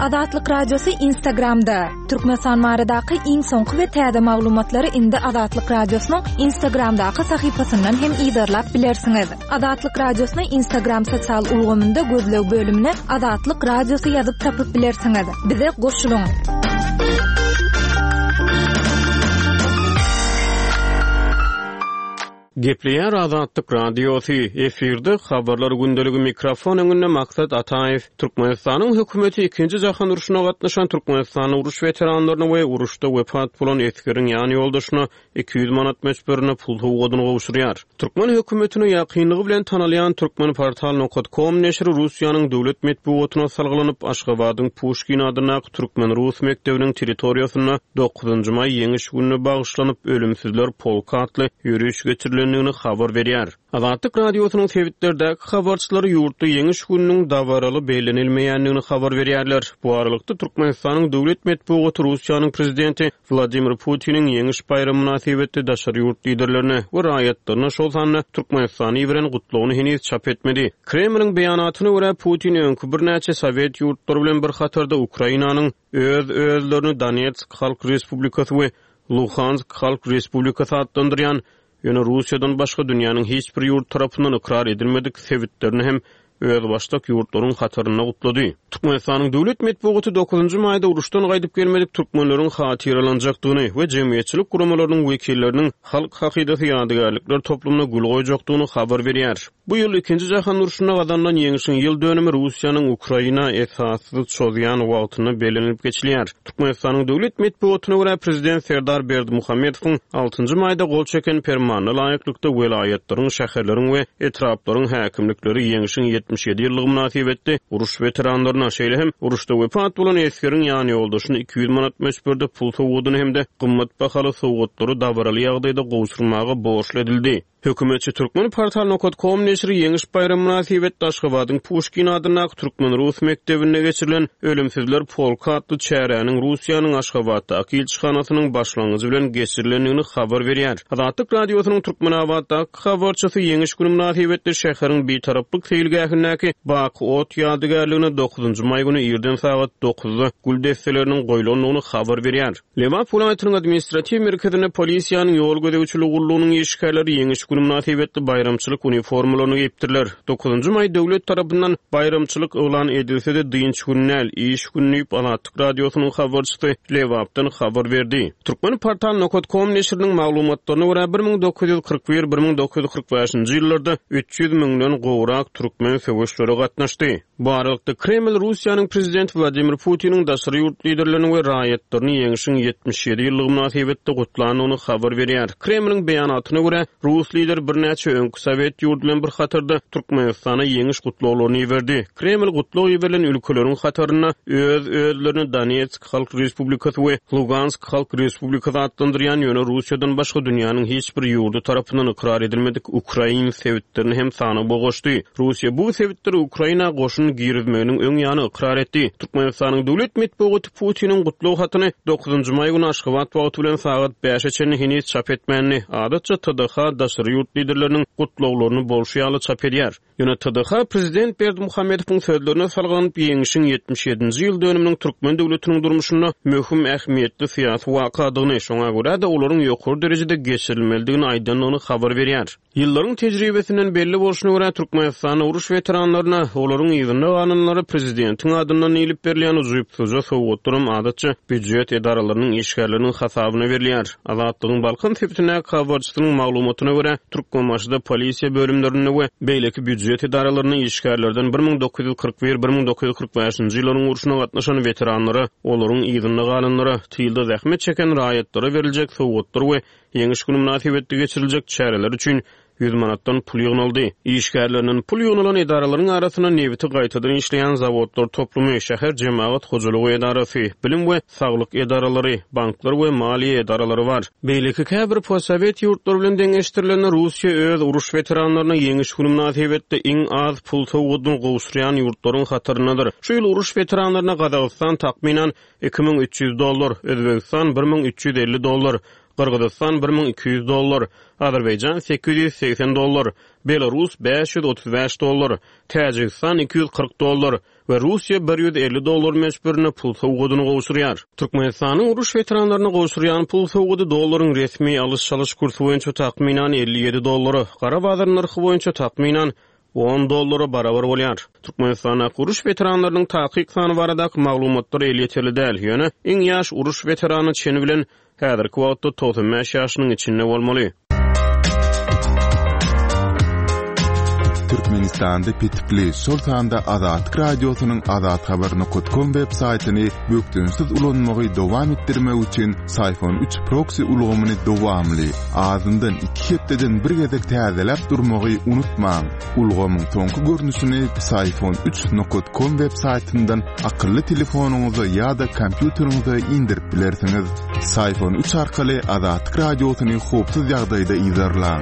Azatlyk Radiosy Instagramda! Türkmenistan baradaky iň soňky we täze maglumatlary indi Azatlyk Radiosynyň Instagramdaky sahypasyndan hem yzarlap bilersiňiz. Azatlyk Radiosyny Instagram sosial ulgamynda gözleg bölümine Azatlyk Radiosy ýazyp tapyp bilersiňiz. Bize goşulyň! Gepleýär Azatlyk Radiosy, efirde Habarlar gündeligi mikrofon öňünde Maksat Ataýew. Türkmenistanyň hökümeti Ikinji jahan urşuna gatnaşan türkmenistanly uruş weteranlaryna we uruşda wepat bolan esgeriň ýan ýoldaşyna 200 manat möçberinde pul sowgadyny gowşurýar. Türkmen hökümetine ýakynlygy bilen tanalýan Turkmenportal nokat kom neşiri Russiýanyň döwlet metbugatyna salgylanyp, Aşgabadyň Puşkin adyndaky türkmen-rus mekdebiniň territoriýasynda Dokuzynjy maý Ýeňiş gününe bagyşlanyp, Ölümsizler polky atly ýöriş geçirilendigini habar berýär. Azatlyk Radiosynyň sebitlerdäki habarçylary ýurtda Ýeňiş gününiň dabaraly bellenilmeýändigini habar berýärler. Bu aralykda, Türkmenistanyň döwlet metbugaty Russiýanyň prezidenti Wladimir Putiniň Ýeňiş baýramy mynasybetli daşary ýurt liderlerine we raýatlaryna, şol sanda Türkmenistana iberen gutlagyny heniz çap etmedi. Kremliň beýanatyna görä, Putin öňki birnäçe sowet ýurtlary bilen bir hatarda Ukrainanyň öz-özlerini Donetsk Halk Respublikasy we Luhansk Halk Respublikasy atlandyrýan, ýöne Russiýadan başga dünýäniň hiç bir ýurdy tarapyndan ykrar edilmedik sebitlerini hem özbaşdak ýurtlaryň hatarynda gutlady. Türkmenistanyň döwlet metbugaty dokuzynjy maýda uruşdan gaýdyp gelmedik türkmenleriň hatyralanjakdygyny we jemgyýetçilik guramalarynyň wekilleriniň Halk hakydasy ýadygärlikler toplumyna gül goýjakdygyny habar berýär. Bu ýyl Ikinji jahan urşunda gazanylan ýeňşiň ýyl dönümi Russiýanyň Ukraina esassyz çozýan wagtynda bellenilip geçilýär. Türkmenistanyň döwlet metbugatyna görä, prezident Serdar Berdimuhamedowyň altynjy maýda gol çeken Permanyna laýyklykda, welaýatlaryň, şäherleriň we etraplaryň häkimlikleri Ýeňşiň 77 ýyllygy mynasybetli uruş weteranlaryna, şeýle hem uruşda wepat bolan esgeriň ýanýoldaşyna 200 manat möçberde pul sowgadyny hem-de gymmat bahaly sowgatlary dabaraly ýagdaýda gowşurmaga borçly edildi. Hökümetçi Turkmenportal nokat kom neşiri Ýeňiş baýramy mynasybetli Aşgabadyň Puşkin adyndaky türkmen-rus mekdebinde geçirilen Ölümsizler polky atly çäräniň Russiýanyň Aşgabatdaky ilçihanasynyň başlangyjy bilen geçirilendigini habar berýär. Azatlyk Radiosynyň Türkmenabatdaky habarçysy Ýeňiş güni mynasybetli şäheriň Bitaraplyk seýilgähindäki Baky ot ýadygärligine dokuzynjy maý güni irden sagat dokuzda gül desseleriniň goýlandygyny habar berýär. Lebap welaýatynyň administratiw merkezinde polisiýanyň ýol gözegçiligi gullugynyň işgärleri Ýeňiş güni mynasybetli baýramçylyk uniformalaryny geýipdirler. Dokuzynjy maý döwlet tarapyndan baýramçylyk yglan edilse-de, dynç güni däl, iş güni diýip, Azatlyk Radiosynyň habarçysy Lebapdan habar berdi. Turkmenportal nokat kom neşiriniň maglumatlaryna görä, 1941, 1945-nji ýyllarda 300 müňden gowrak türkmen söweşlere gatnaşdy. Bu aralykda, Kreml Russiýanyň prezidenti Wladimir Putiniň daşary ýurt liderlerini we raýatlaryny Ýeňşiň 77 ýyllygy mynasybetli gutlandygyny habar berýär. Kremliň beýanatyna görä, rus lideri birnäçe öňki sowet ýurdy bilen bir hatarda Türkmenistana ýeňiş gutlaglaryny iberdi. Kreml gutlag iberilen ülkeleriň hatarynda öz-özlerini Donetsk Halk Respublikasy we Lugansk Halk Respublikasy atlandyrýan, ýöne Russiýadan başga dünýäniň hiç bir ýurdy tarapyndan ykrar edilmedik ukrain sebitlerini hem sanawa goşdy. Russiýa bu sebitleri Ukraina goşun girizmeginiň öň ýany ykrar etdi. Türkmenistanyň döwlet metbugaty Putiniň gutlag hatyny dokuzynjy maý güni Aşgabat wagty bilen sagat bäşe çenli heniz çap etmändi. Adatça TDH daşary ýurt liderleriniň gutlaglaryny bolşy ýaly çap edýär. Ýöne TDH prezident Berdimuhamedowyň sözlerine salgylanyp, Ýeňşiň 77-nji ýyl dönüminiň türkmen döwletiniň durmuşynda möhüm ähmiýetli syýasy wakadygyny, şoňa görä-de, olaryň ýokary derejede geçirilmelidigini aýdandygyny habar berýär. Ýyllaryň tejribesinden belli bolşuna görä, Türkmenistanda uruş weteranlaryna, olaryň yzynda galanlara prezidentiň adyndan diýlip berilýän ujypsyzja sowgatlaram adatça býujet edaralarynyň işgärleriniň hasabyna berilýär. Azatlygyň Balkan sebitindäki habarçysynyň maglumatyna görä, Türkmenbaşyda polisiýa bölümlerinde we beýleki býujet edaralarynda işgärlerden 1941, 1945-nji ýyllaryň urşuna gatnaşan weteranlara, olaryň yzynda galanlara, tylda zähmet çeken raýatlara beriljek sowgatlar we Ýeňiş güni mynasybetli geçiriljek çäreler üçin 100 manatdan pul ýygnaldy. Işgärlerinden pul ýygnalan edaralaryň arasynda nebiti gaýtadan işleýän zawodlar toplumy, şäher jemagat hojalygy edarasy, bilim we saglyk edaralary, banklar we maliýe edaralary bar. Beýleki käbir postsowet ýurtlary bilen deňeşdirilende, Russiýa öz uruş weteranlaryna Ýeňiş güni mynasybetli iň az pul sowgadyny gowşurýan ýurtlaryň hataryndadyr. Şu ýyl uruş weteranlaryna Gazagystan takmynan 2300 dollar, Özbegistan 1350 dollar, Gyrgyzystan 1200 dollar, Azerbaýjan 880 dollar, Belarus 535 dollar, Täjigistan 240 dollar we Russiýa 150 dollar möçberinde pul sowgadyny gowşurýar. Türkmenistanyň uruş weteranlaryna gowşurýan pul sowgady dollaryň resmi alyş-çalyş kursy boýunça takmynan 57 dollara, gara bazar nyrhy boýunça takmynan on dollara barabar bolýar. Türkmenistandaky uruş weteranlarynyň takyk sany baradaky maglumatlar elýeterli däl, ýöne iň ýaş uruş weterany çeni bilen häzirki wagtda 95 ýaşynyň içinde bolmaly. Türkmenistanda petikli, şol sanda Azatlyk Radiosynyň azathabar nokat kom web saýtyny bökdençsiz ulanmagy dowam etdirmek üçin Syfon üç proksi ulgamyny dowamly, azyndan iki hepdeden bir gezek täzeläp durmagy unutmaň. Ulgamyň soňky görnüşini Psiphon üç nokat kom web saýtyndan akylly telefonyňyza ýa-da kompýuteriňize indirip bilersiňiz. Psiphon üç arkaly Azatlyk Radiosyny howpsuz ýagdaýda yzarlaň.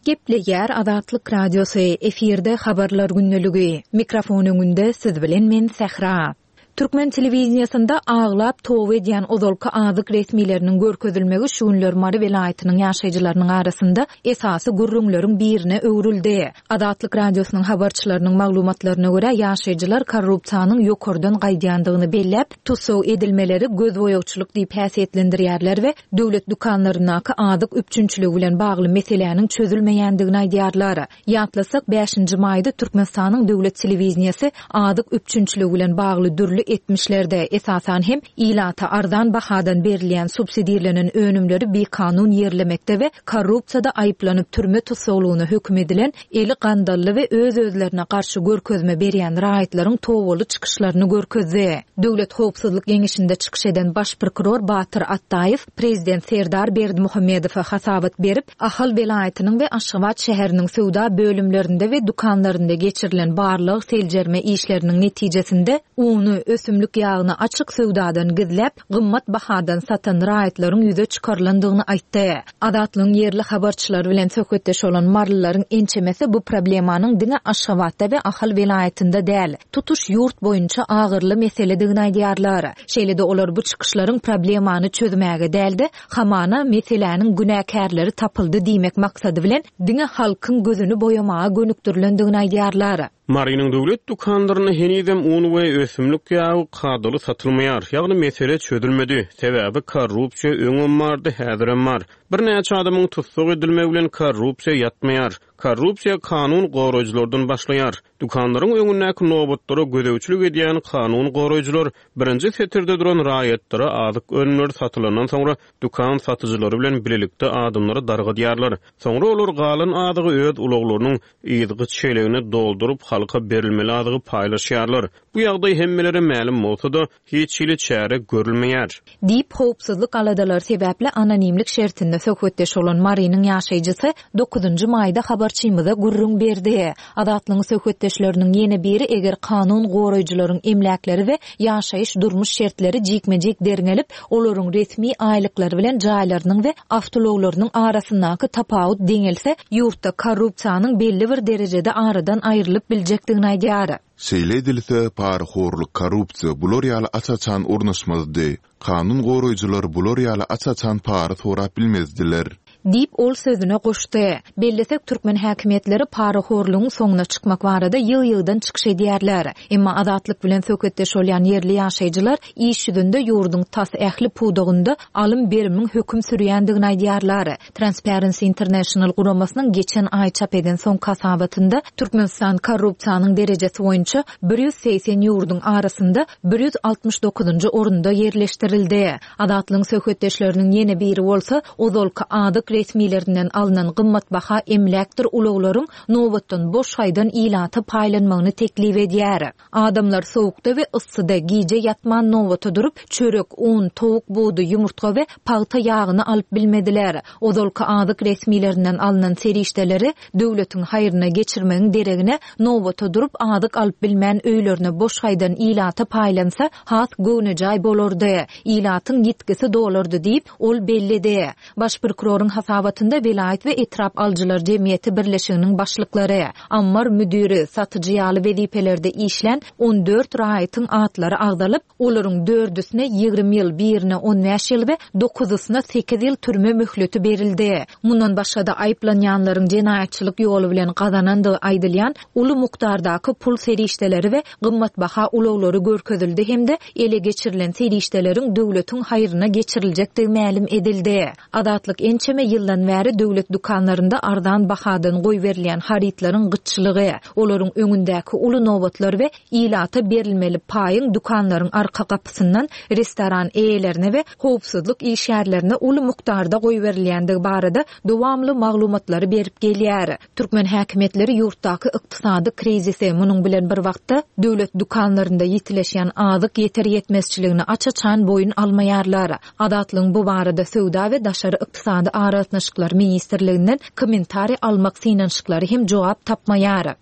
Gepleýär Azatlyk Radiosy, efirde Habarlar gündeligi. Mikrofon öňünde siz bilen men Sähra. Türkmen telewideniýesinde aglap toba edýän ozalky azyk resmileriniň görkezilmegi şu günler Mary welaýatynyň ýaşaýjylarynyň arasynda esasy gürrüňleriň birine öwrüldi. Azatlyk Radiosynyň habarçylarynyň maglumatlaryna görä, ýaşaýjylar korrupsiýanyň ýokardan gaýdýandygyny belläp, tussag edilmeleri gözboýagçylyk diýip häsiýetlendirýärler we döwlet dükanlaryndaky azyk üpjünçiligi bilen bagly meseläniň çözülmeýändigini aýdýarlar. Ýatlasak, bäşinji maýda Türkmenistanyň döwlet telewideniýesi azyk üpjünçiligi bilen bagly dürli etmişlerde, esasan hem, ilata arzan bahadan berilýän subsidirlenen önümleri bikanun ýerlemekde we korrupsiýada aýyplanyp türme tussaglygyna höküm edilen eli gandally we öz-özlerine garşy görkezme berýän raýatlaryň tobaly çykyşlaryny görkezdi. Döwlet howpsuzlyk geňeşinde çykyş eden baş prokuror Batyr Atdaýew prezident Serdar Berdimuhamedowa hasabat berip, Ahal welaýatynyň we Aşgabat şäheriniň söwda bölümlerinde we dükanlarynda geçirilen barlag-seljerme işleriniň netijesinde uny, ösümlik ýagyny açyk söwdadan gizläp, gymmat bahadan satan raýatlaryň ýüze çykarylandygyny aýtdy. Azatlygyň ýerli habarçylary bilen söhbetdeş bolan marylylaryň ençemesi bu problemanyň diňe Aşgabatda we Ahal welaýatynda däl, tutuş ýurt boýunça agyrly meseledigini aýdýarlar. Şeýle-de olar bu çykyşlaryň problemany çözmäge däl-de, Hamana, meseläniň günäkärleri tapyldy diýmek maksady bilen diňe halkyň gözüni boýamaga gönükdirilendigini aýdýarlar. Marynyň döwlet dükanlarynda henizem un we ösümlik ýagy kadaly satylmaýar. Ýagny mesele çözülmedi. Sebäbi korrupsiýa öňem bardy, häzirem bar. Birnäçe adamyň tussag edilmegi bilen korrupsiýa ýatmaýar. Korrupsiýa kanun goraýjylardan başlaýar. Dükanlaryň öňündäki nobatlara gözegçilik edýän kanun goraýjylar Birinji setirde duran raýatlara azyk önümleri satylandan soňra, dükan satyjylary bilen bilelikde adamlary dargadýarlar. Soňra olar galan azygy öz ulaglarynyň yzky çelegine dolduryp, halka berilmeli azygy paýlaşýarlar. Bu ýagdaý hemmelere mälim bolsa-da, hiç hili çäre görülmeýär. Diýip, howpsuzlyk aladalary sebäpli anonimlik şertinde söhbetdeş bolan Marynyň ýaşaýjysy dokuzynjy maýda habarçymyza gürrüň berdi. Azatlygyň söhbetdeşleriniň ýene biri eger kanun goraýjylaryň emläkleri we ýaşaýyş-durmuş şertleri jikme-jik derňelip, olaryň resmi aýlyklary bilen jaýlarynyň we awtoulaglarynyň arasyndaky tapawut deňelse, ýurtda korrupsiýanyň belli bir derejede aradan aýrylyp biljekdigini aýdýar. Şeýle edilse, parahorluk, korrupsiýa bular ýaly aç-açan ornaşmazdy. Kanun goraýjylar bular ýaly aç-açan para sorap bilmezdiler. Diýip, ol sözüne goşdy. Bellesek, türkmen häkimiýetleri parahorlugyň soňuna çykmak barada ýygy-ýygydan çykyş edýärler. Emma Azatlyk bilen söhbetdeş bolýan ýerli ýaşaýjylar iş ýüzünde ýurduň tas ähli pudagynda alym-berimiň höküm sürýändigini aýdýarlar. Transparency International guramasynyň geçen aý çap eden soňky hasabatynda Türkmenistan korrupsiýanyň derejesi boýunça 180 ýurduň arasynda 169-njy orunda ýerleşdirildi. Azatlygyň söhbetdeşleriniň ýene biri bolsa, ozalky azyk resmilerinden alnan gymmatbaha emläkdir ulaglaryň nobatdan boş gaýdan ilata paýlanmagyny teklip edýär. Adamlar sowukda we yssyda gije ýatman nobata durup, çörek, un, towuk budy, ýumurtga we pagta ýagyny alyp bilmediler. Ozalky azyk resmilerinden alnan serişdeleri döwletiň haýryna geçirmegiň deregine, nobata durup azyk alyp bilmän öýlerine boş gaýdan ilata paýlansa, has göwnejaý bolardy, ilatyň ýitgisi dolardy diýip, ol belledi. Baş prokuroryň. hasabatynda welaýat we etrap alyjylar jemgyýeti birleşiginiň başlyklary, ammar müdiri, satyjy ýaly wezipelerde işlän 14 raýatyň atlary agzalyp, olaryň dördüsine 20 ýyl, birine 15 ýyl we dokuzysyna sekiz ýyl türme möhleti berildi. Mundan başga-da, aýyplanýanlaryň jenaýatçylyk ýoly bilen gazanandygy aýdylýan uly mukdardaky pul serişdeleri we gymmatbaha ulaglary görkezildi hem-de ele geçirilen serişdeleriň döwletiň haýryna geçiriljekdigi mälim edildi. Azatlyk ençeme ýyldan bäri döwlet dükanlarynda arzan bahadan goýberilýän harytlaryň gytçylygy, olaryň öňündäki uly nobatlar we ilata berilmeli paýyň dükanlaryň arka gapysyndan restoran eýelerine we howpsuzlyk işgärlerine uly mukdarda goýberilýändigi barada dowamly maglumatlary berip gelýär. Türkmen häkimiýetleri ýurtdaky ykdysady krizisi, munuň bilen bir wagtda, döwlet dükanlarynda ýitileşýän azyk ýeter-ýetmezçiligini aç-açan boýun almaýarlar. Azatlygyň bu barada Söwda we daşary ykdysady aragatnaşyklar ministrliginden kommentariý almak synanyşyklary hem jogap tapmaýar.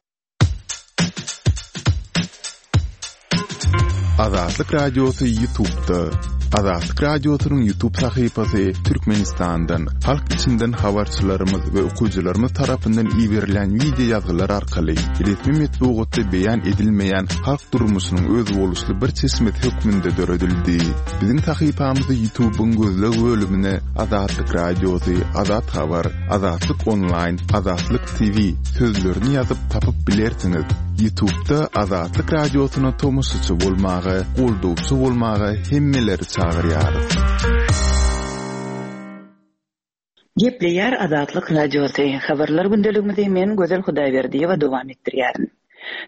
Azatlyk Radiosy YouTube'da. Azatlyk Radiosynyň YouTube sahypasy Türkmenistandan, halk içinden habarçylarymyz we okyjylarymyz tarapyndan iberilen wideo ýazgylar arkaly resmi metbugatda beýan edilmeýän halk durmuşynyň özboluşly bir çeşmesi hökmünde döredildi. Biziň sahypamyzy YouTube'yň gözleg bölümine Azatlyk Radiosy, Azat Habar, Azatlyk Onlaýn, Azatlyk TV sözlerini ýazyp tapyp bilersiňiz. Ýutubda Azatlyk Radiosyna tomaşaçy bolmaga, goldawçy bolmaga hemmeleri çagyrýarys. Gepleýär Azatlyk Radiosy, Habarlar gündeligimizi men Gözel Hudaýberdiýewa dowam etdirýärin.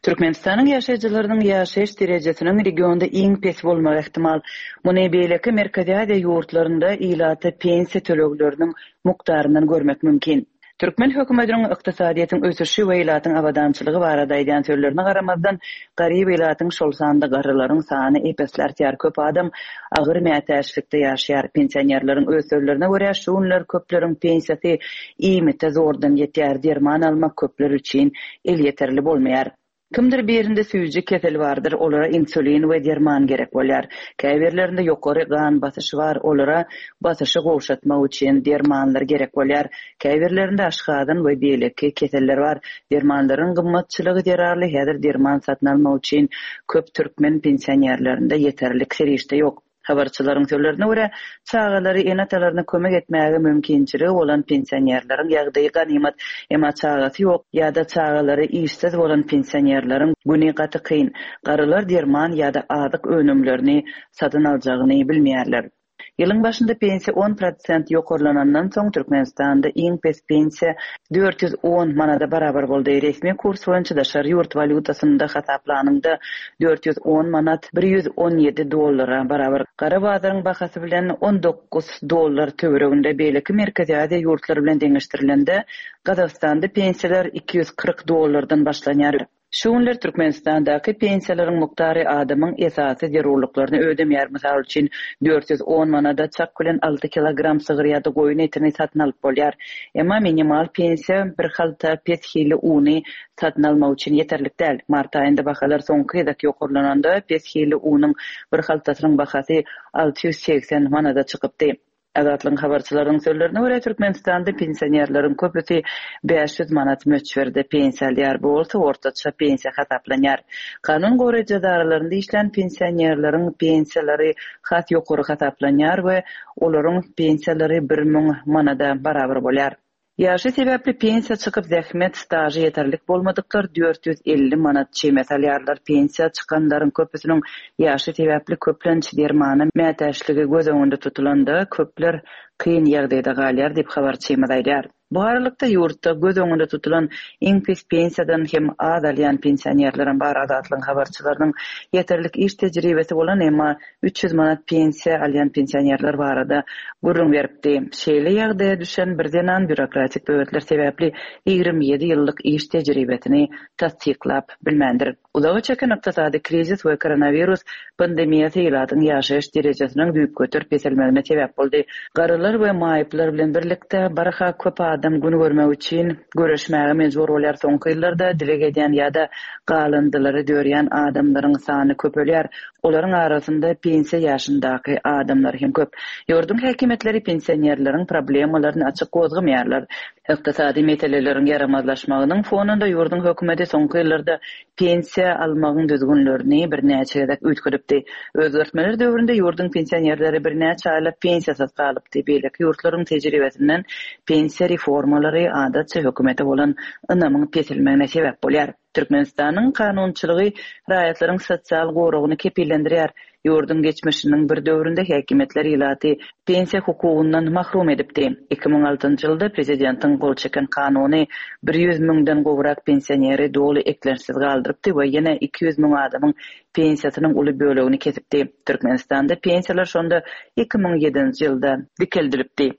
Türkmenistanyň ýaşaýjylarynyň ýaşaýyş derejesiniň regionda iň pes bolmagy ähtimal. Muny beýleki Merkezi Aziýa ýurtlarynda ilata pensiýa tölegleriniň mukdaryndan görmek mümkin. Türkmen hökümetiniň ykdysadyýetiň ösüşi we ilatyň abadançylygy barada aýdýan sözlerine garamazdan, garyp ilatyň, şol sanda garrylaryň sany ep-esli artýar, köp adam agyr mätäçlikde ýaşaýar. Pensionerleriň öz sözlerine görä, şu günler köpleriň pensiýasy iýmite zordan ýetýär, derman almak köpler üçin elýeterli bolmaýar. Kimdir birinde süýji keseli bardyr, olara insulin we derman gerek bolýar. Käbirlerinde ýokary gan basyşy bar, olara basyşy gowşatmak üçin dermanlar gerek bolýar. Käbirlerinde aşgazan we beýleki keseller bar. Dermanlaryň gymmatçylygy zerarly häzir derman satyn almak üçin köp türkmen pensionerlerinde ýeterlik serişde ýok. Habarçylaryň sözlerine görä, çagalary ene-atalaryna kömek etmäge mümkinçiligi bolan pensionerleriň ýagdaýy ganymat, emma çagasy ýok ýa-da çagalary işsiz bolan pensionerleriň güni gaty kyn. Garrylar derman ýa-da azyk önümlerini satyn aljagyny bilmeýärler. Ýylyň başynda pensiýa on prosent ýokarlanandan soň, Türkmenistanda iň pes pensiýa 410 manada barabar boldy. Resmi kurs boýunça daşary ýurt walýutasynda hasaplanyňda 410 manat 117 dollara barabar. Gara bazaryň bahasy bilen 19 dollar töwereginde. Beýleki Merkezi Aziýa ýurtlary bilen deňeşdirilende, Gazagystanda pensiýalar 240 dollardan başlanýar. Şu günler Türkmenistandaky pensiýalaryň mukdary adamyň esasy zerurlyklaryny ödemeýär. Mysal üçin, 410 manada çak bilen alty kilogram sygyr ýa-da goýun etini satyn alyp bolýar. Emma minimal pensiýa bir halta pes hilli uny satyn almak üçin ýeterlik däl. Mart aýynda bahalar soňky gezek ýokarlananda, pes hilli unuň bir haltasynyň bahasy 680 manada çykypdy. Azatlygyň habarçylarynyň sözlerine görä, Türkmenistanda pensionerleriň köpüsi 500 manat möçberde pensiýa alýar, bu bolsa ortaça pensiýa hasaplanýar. Kanun goraýjy edaralarynda işlän pensionerleriň pensiýalary has ýokary hasaplanýar we olaryň pensiýalary 1000 manada barabar bolýar. Ýaşy sebäpli pensiýa çykyp zähmet stažy ýeterlik bolmadyklar 450 manat çemesi alýarlar. Pensiýa çykanlaryň köpüsiniň ýaşy sebäpli köplenç dermana mätäçligi göz öňünde tutulanda köpler kyn ýagdaýda galýar diýip habarçymyz aýdýar. Bu aralykda ýurtda göz öňünde tutulan iň pes pensiýadan hem az alýan pensionerlerem bar. Azatlygyň habarçylarynyň ýeterlik iş tejribesi bolan emma 300 manat pensiýa alýan pensionerler barada gürrüň beripdi. Şeýle ýagdaýa düşen bir zenan býurokratik böwetler sebäpli 27 ýyllyk iş tejribesini tassyklap bilmändir. Uzaga çeken ykdysady krizis we koronawirus pandemiýasy ilatyň ýaşaýyş derejesiniň düýpgöter peselmegine sebäp boldy. Garrylar. Çagalar we maýyplar bilen birlikde barha köp adam gün görmek üçin göreşmäge mejbur bolýar. Soňky ýyllarda dileg edýän ýa-da galyndylary dörýän adamlaryň sany köpelýär. Olaryň arasynda pensiýa ýaşyndaky adamlar hem köp. Ýurduň häkimiýetleri pensionerleriň problemalaryny açyk gozgamaýarlar. Ykdysady meseleleriň ýaramazlaşmagynyň fonunda ýurduň hökümeti soňky ýyllarda pensiýa almagyň düzgünlerini birnäçe gezek üýtgedipdi. Özgertmeler döwründe ýurduň pensionerleri birnäçe aýlap pensiýasyz galypdy. Beýleki ýurtlaryň tejribesinden pensiýa reformalary adatça hökümete bolan ynamyň peselmegine sebäp bolýar. Türkmenistanyň kanunçylygy raýatlaryň sosial goragyny kepillendirýär. Ýurduň geçmişiniň bir döwründe häkimiýetler ilaty pensiýa hukugyndan mahrum edipdi. 2006-njy ýylda prezidentiň gol çeken kanuny 100 müňden gowrak pensioneri doly eklençsiz galdyrypdy we ýene 200 müň adamyň pensiýasynyň uly bölegini kesipdi. Türkmenistanda pensiýalar şonda 2007-nji ýylda dikeldilipdi.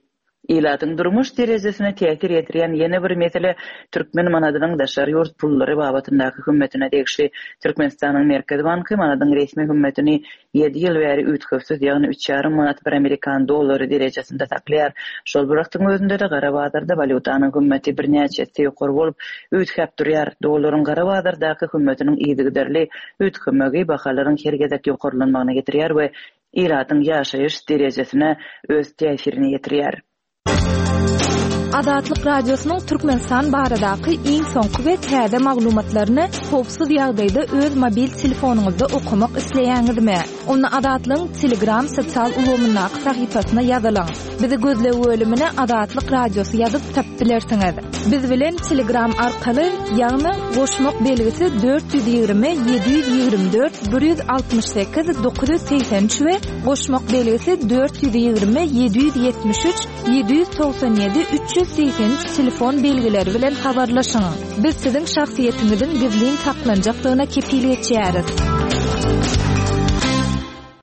Ilatyň durmuş derejesine täsir ýetirýän ýene bir mesele türkmen manadynyň daşary ýurt pullary babatyndaky hümmetine degişli. Türkmenistanyň Merkezi banky manadyň resmi hümmetini ýedi ýyl bäri üýtgewsiz, ýagny üç ýarym manat bir amerikan dollary derejesinde saklaýar. Şol bir wagtyň özünde-de gara bazarda walýutanyň hümmeti birnäçe esse ýokary bolup, üýtgäp durýar. Dollaryň gara bazardaky hümmetiniň yzygiderli üýtgemegi bahalaryň her gezek ýokarlanmagyna getirýär we ilatyň ýaşaýyş derejesine öz täsirini ýetirýär. Azatlyk Radiosynyň Türkmenistan baradaky iň soňky we täze maglumatlaryny howpsuz ýagdaýda öz mobil telefonyňyzda okamak isleýäňizmi? Onda Azatlygyň Telegram sosial ulgamyndaky sahypasyna ýazylyň. Bizi gözleg bölümine Azatlyk Radiosy ýazyp tapyp bilersiňiz. Biz bilen Telegram arkaly, ýagny goşmak belgisi 420 724 168 983 we goşmak belgisi 420 773 797 383 telefon belgileri bilen habarlaşyň. Biz siziň şahsyýetiňiziň gizlin saklanjakdygyna kepil geçýäris.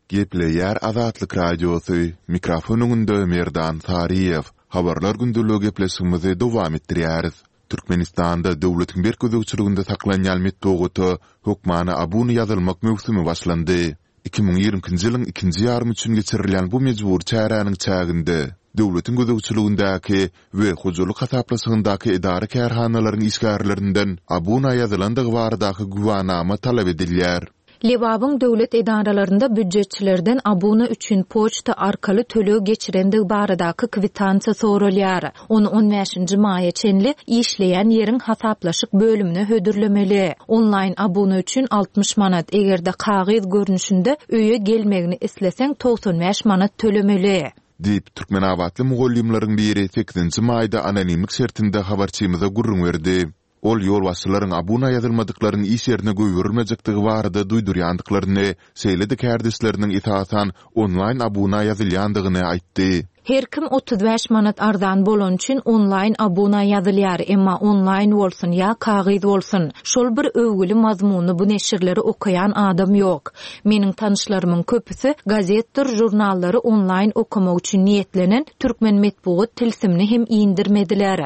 Gepleýär Azatlyk Radiosy, mikrofon öňünde Merdan Saryýew. Habarlar gündeligi gepleşigimizi dowam etdirýäris. Türkmenistanda döwletiň berk gözegçiliginde saklanýan metbugata hökmany abuna ýazylmak möwsümi başlandy. 2022-nji ýylyň ikinji ýarymy üçin geçirilýän bu mejbury çäräniň çäginde döwletiň gözegçiligindäki we hojalyk hasaplaşygyndaky edara-kärhanalaryň işgärlerinden abuna ýazylandygy baradaky güwänama talap edilýär. Lebabyň döwlet edaralarynda býujetçilerden abuna üçin poçta arkaly töleg geçirendigi baradaky kwitansiýa soralýar. Ony on bäşinji maýa çenli işleýän ýeriň hasaplaşyk bölümine hödürlemeli. Onlaýn abuna üçin 60 manat, eger-de kagyz görnüşinde öýe gelmegini isleseň 95 manat tölemeli. Diýip, türkmenabatly mugallymlaryň biri sekizinji maýda anonimlik şertinde habarçymyza gürrüň berdi. Ol ýolbaşçylaryň abuna ýazylmadyklaryň iş ýerine goýberilmejekdigi barada duýdurýandyklaryny, şeýle-de kärdeşleriniň esasan onlaýn abuna ýazylýandygyny aýtdy. Her kim 35 manat arzan bolany üçin onlaýn abuna ýazylýar, emma onlaýn bolsun ýa kagyz bolsun, şol bir öwgüli mazmunly bu neşirleri okaýan adam ýok. Meniň tanyşlarymyň köpüsi gazetdir žurnallary onlaýn okamak üçin niýetlenen türkmen metbugat tilsimini hem indirmediler.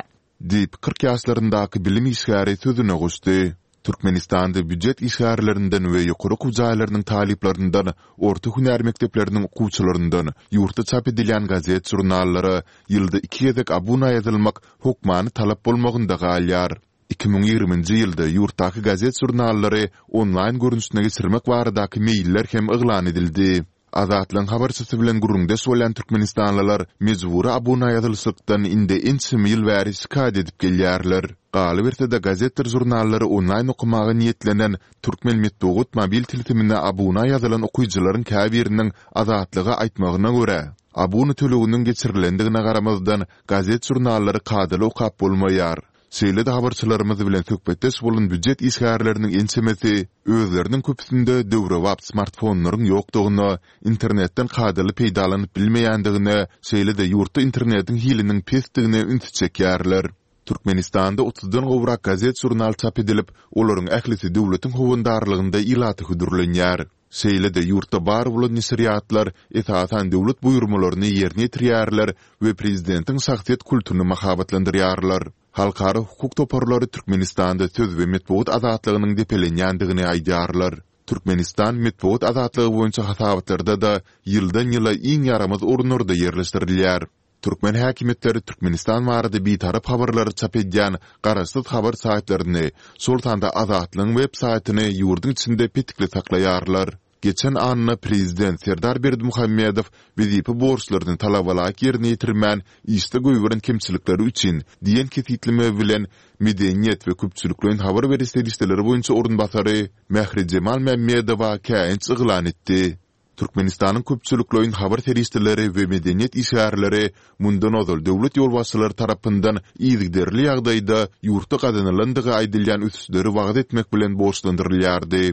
Diýip, 40 ýaşlaryndaky bilim işgäri sözüne goşdy. Türkmenistanda býujet işgärlerinden we ýokary okuw jaýlarynyň talyplaryndan, orta hünär mekdepleriniň okuwçylaryndan ýurtda çap edilýän gazet-žurnallara ýylda iki gezek abuna ýazylmak hokmany talap bolmagynda galýar. 2020-nji ýylda ýurtdaky gazet-žurnallary onlaýn görnüşine geçirmek baradaky meýiller hem yglan edildi. Azatlygyň habarçysy bilen gürrüňdeş bolýan türkmenistanlylar mejbury abuna ýazylyşykdan indi ençeme ýyl bäri şikaýat edip gelýärler. Galyberse-de, gazetdir žurnallary onlaýn okamaga niýetlenen Türkmen metbugat mobil tilsimine abuna ýazylan okyjylaryň käbiriniň Azatlyga aýtmagyna görä, abuna töleginiň geçirilendigine garamazdan, gazet-žurnallary kadaly okap bolmaýar. Şeýle-de habarçylarymyz bilen söhbetdeş bolan býujet işgärleriniň ençemesi özleriniň köpüsinde döwrebap smartfonlaryň ýokdugyna, internetden kadaly peýdalanyp bilmeýändigine, şeýle-de ýurtda internetiň hiliniň pesdigine ünsi çekýärler. Türkmenistanda otuzdan gowrak gazet-žurnal çap edilip, olaryň ählisi döwletiň howandarlygynda ilata hödürlenýär. Şeýle-de ýurtda bar bolan neşirýatlar esasan döwlet buýurmalaryny ýerine ýetirýärler we prezidentiň şahsyýet kultuny mahabatlandyrýarlar. Halkara hukuk toparlary Türkmenistanda söz we metbugat azatlygynyň depelenýändigini aýdýarlar. Türkmenistan metbugat azatlygy boýunça hasabatlarda-da ýyldan-ýyla iň ýaramaz orunlarda ýerleşdirilýär. Türkmen häkimiýetleri Türkmenistan barada bitarap habarlary çap edýän garaşsyz habar saýtlaryny, şol sanda Azatlygyň web saýtyny ýurduň içinde petikli saklaýarlar. Geçen anna prezident Serdar Berdimuhamedow wezipe borçlaryny talabalaýyk ýerine ýetirmän, işde goýberen kemçilikleri üçin diýen kesgitleme bilen medeniýet we köpçülikleýin habar beriş serişdeleri boýunça orunbasary Mährijemal Mämmedowa käýinç yglan etdi. Türkmenistanyň köpçülikleýin habar serişdeleri we medeniýet işgärleri mundan ozal döwlet ýolbaşçylary tarapyndan yzygiderli ýagdaýda ýurtda gazanylandygy aýdylýan ösüşleri wagyz etmek bilen borçlandyrylýardy.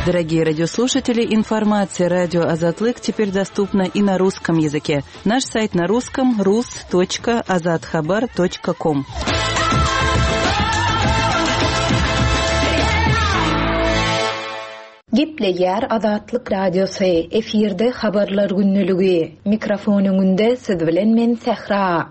Дорогие радиослушатели, информация радио Азатлык теперь доступна и на русском языке. Наш сайт на русском rus.azathabar.com. Gepleýär Azatlyk Radiosy, efirde Habarlar gündeligi. Mikrofon öňünde siz bilen men Sähra.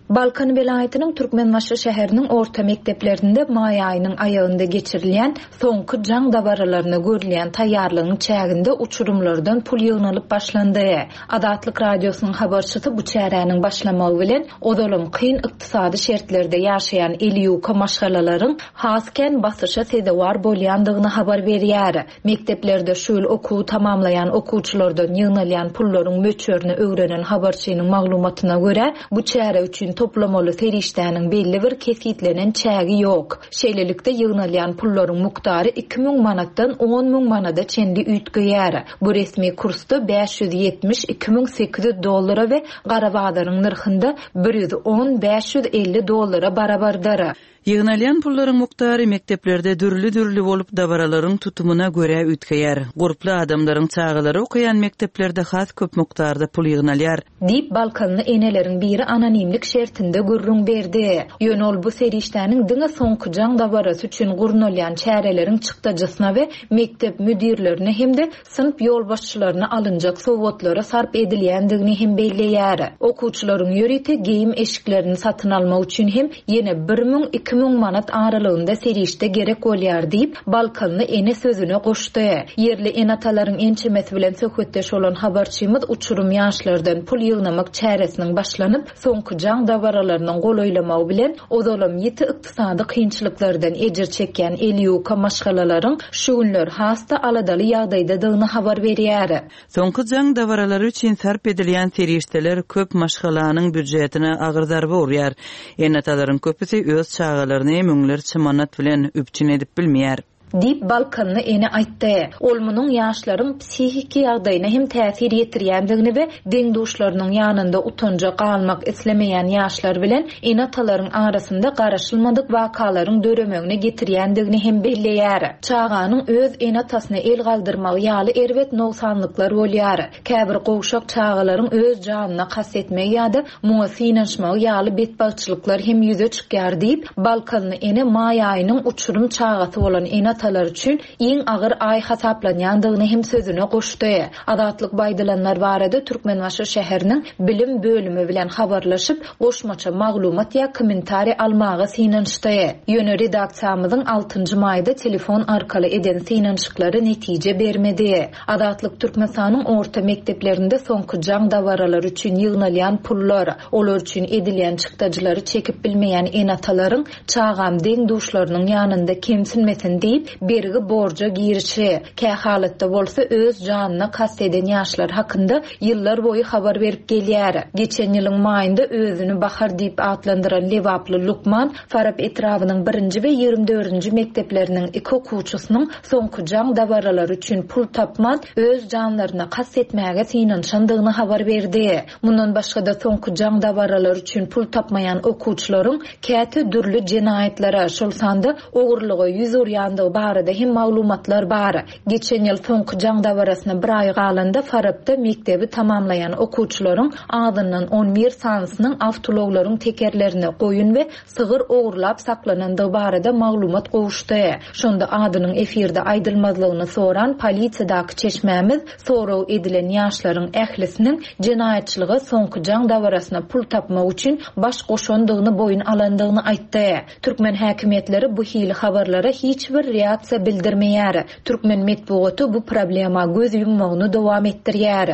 Balkan welaýatynyň Türkmenbaşy şäheriniň orta mekdeplerinde maý aýynyň aýagynda geçirilýän Soňky jaň dabaralaryna görülýän taýýarlygyň çäginde uçurymlardan pul ýygnalyp başlandy. Azatlyk Radiosynyň habarçysy bu çäräniň başlamagy bilen, ozalam kyn ykdysady şertlerde ýaşaýan eli ýuka maşgalalaryň has kän basyşa sezewar bolýandygyny habar berýär. Mekdeplerde şu ýyl okuwy tamamlaýan okuwçylardan ýygnalýan pullaryň möçberini öwrenen habarçynyň maglumatyna görä, bu çäre üçin toplamaly serişdäniň belli bir kesgitlenen çägi ýok. Şeýlelikde, ýygnalýan pullaryň mukdary 2000 manatdan 10 müň manada çenli üýtgeýär. Bu resmi kursda 572 800 dollara we gara bazaryň nyrhynda 110 550 dollara barabardyr. Ýygnalýan pullaryň mukdary mekdeplerde dürli-dürli bolup, dabaralaryň tutumyna görä üýtgeýär. Gurply adamlaryň çagalary okaýan mekdeplerde has köp mukdarda pul ýygnalýar. Diýip, balkanly eneleriň biri anonimlik şertinde gürrüň berdi. Ýöne ol bu serişdäniň diňe soňky jaň dabarasy üçin gurnalýan çäreleriň çykdajysyna we mekdep müdirlerine hem-de synp ýolbaşçylaryna alynjak sowgatlara sarp edilýändigini hem belleýär. Okuwçylaryň ýörite geýim-eşiklerini satyn almak üçin hem ýene bir müň, 2000 manat aralygynda serişde gerek bolýar diýip, balkanly ene sözüne goşdy. Ýerli ene-atalaryň ençemesi bilen söhbetdeş bolan habarçymyz uçurym ýaşlardan pul ýygnamak çäresiniň başlanyp, soňky jaň dabaralarynyň golaýlamagy bilen, ozalam ýiti ykdysady kynçylyklardan ejir çekýän eli ýuka maşgalalaryň şu günler has-da aladaly ýagdaýdadygyny habar berýär. Soňky jaň dabaralary üçin sarp edilýän serişdeler köp maşgalanyň býujetine agyr zarba urýar. Ene-atalaryň köpüsi öz çagalaryny müňlerçe manat bilen üpjün edip bilmeýär. Diýip, balkanly ene aýtdy. Ol munuň ýaşlaryň psihiki ýagdaýyna hem täsir ýetirýändigini we deň-duşlarynyň ýanynda utanja galmak islemeýän ýaşlar bilen ene-atalaryň arasynda garaşylmadyk wakalaryň döremegine getirýändigini hem belleýär. Çaganyň öz ene-atasyna el galdyrmagy ýaly erbet nogsanlyklar bolýar. Käbir gowşak çagalaryň öz janyna kast etmegi ýa-da muňa synanyşmagy ýaly betbagtçylyklar hem ýüze çykýar diýip, balkanly ene maý aýynyň uçurym çagasy bolan ene-atalar üçin iň agyr aý hasaplanýandygyny hem sözüne goşdy. Azatlyk bu aýdylanlar barada Türkmenbaşy şäheriniň bilim bölümi bilen habarlaşyp, goşmaça maglumat ýa kommentariý almaga synanyşdy. Ýöne redaksiýamyzyň altynjy maýda telefon arkaly eden synanyşyklary netije bermedi. Azatlyk Türkmenistanyň orta mekdeplerinde soňky jaň dabaralary üçin ýygnalýan pullar, olar üçin edilýän çykdajylary çekip bilmeýän ene-atalaryň çagam deň-duşlarynyň ýanynda kemsinmesin diýip, bergi-borja girişi, kähalatda bolsa öz janyna kast eden ýaşlar hakynda ýyllar boýy habar berip gelýär. Geçen ýylyň maýynda özüni Bahar diýip atlandyran lebaply lukman Farap etrabynyň birinji we 24-nji mekdepleriniň iki okuwçysynyň soňky jaň dabaralary üçin pul tapman, öz janlaryna kast etmäge synanyşandygyny habar berdi. Mundan başga-da, soňky jaň dabaralary üçin pul tapmaýan okuwçylaryň käte dürli jenaýatlara, şol sanda ogurlyga ýüz urýandygy barada hem maglumatlar bar. Geçen ýyl soňky jaň dabarasyna bir aý galanda Farapda mekdebi tamamlaýan okuwçylaryň azyndan on bir sanysynyň awtoulaglaryň tekerlerini, goýun we sygyr ogurlap saklanandygy barada maglumat gowuşdy. Şonda adynyň efirde aýdylmazlygyny soran polisiýadaky çeşmämiz sorag edilen ýaşlaryň ählisiniň jenaýatçylyga soňky jaň dabarasyna pul tapmak üçin baş goşandygyny boýun alandygyny aýtdy. Türkmen häkimiýetleri bu hili habarlara hiç bir reaksiýa. reaksiýa bildirmeýär. Türkmen metbugaty bu problema göz ýummagyny dowam etdirýär.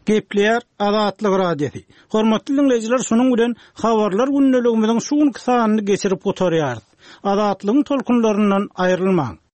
Gepleýär Azatlyk Radiosy. Hormatly diňleýjiler şunuň bilen Habarlar gündeligimiziň şu günki sanyny geçirip gutarýarys. Azatlygyň tolkunlaryndan aýrylmaň.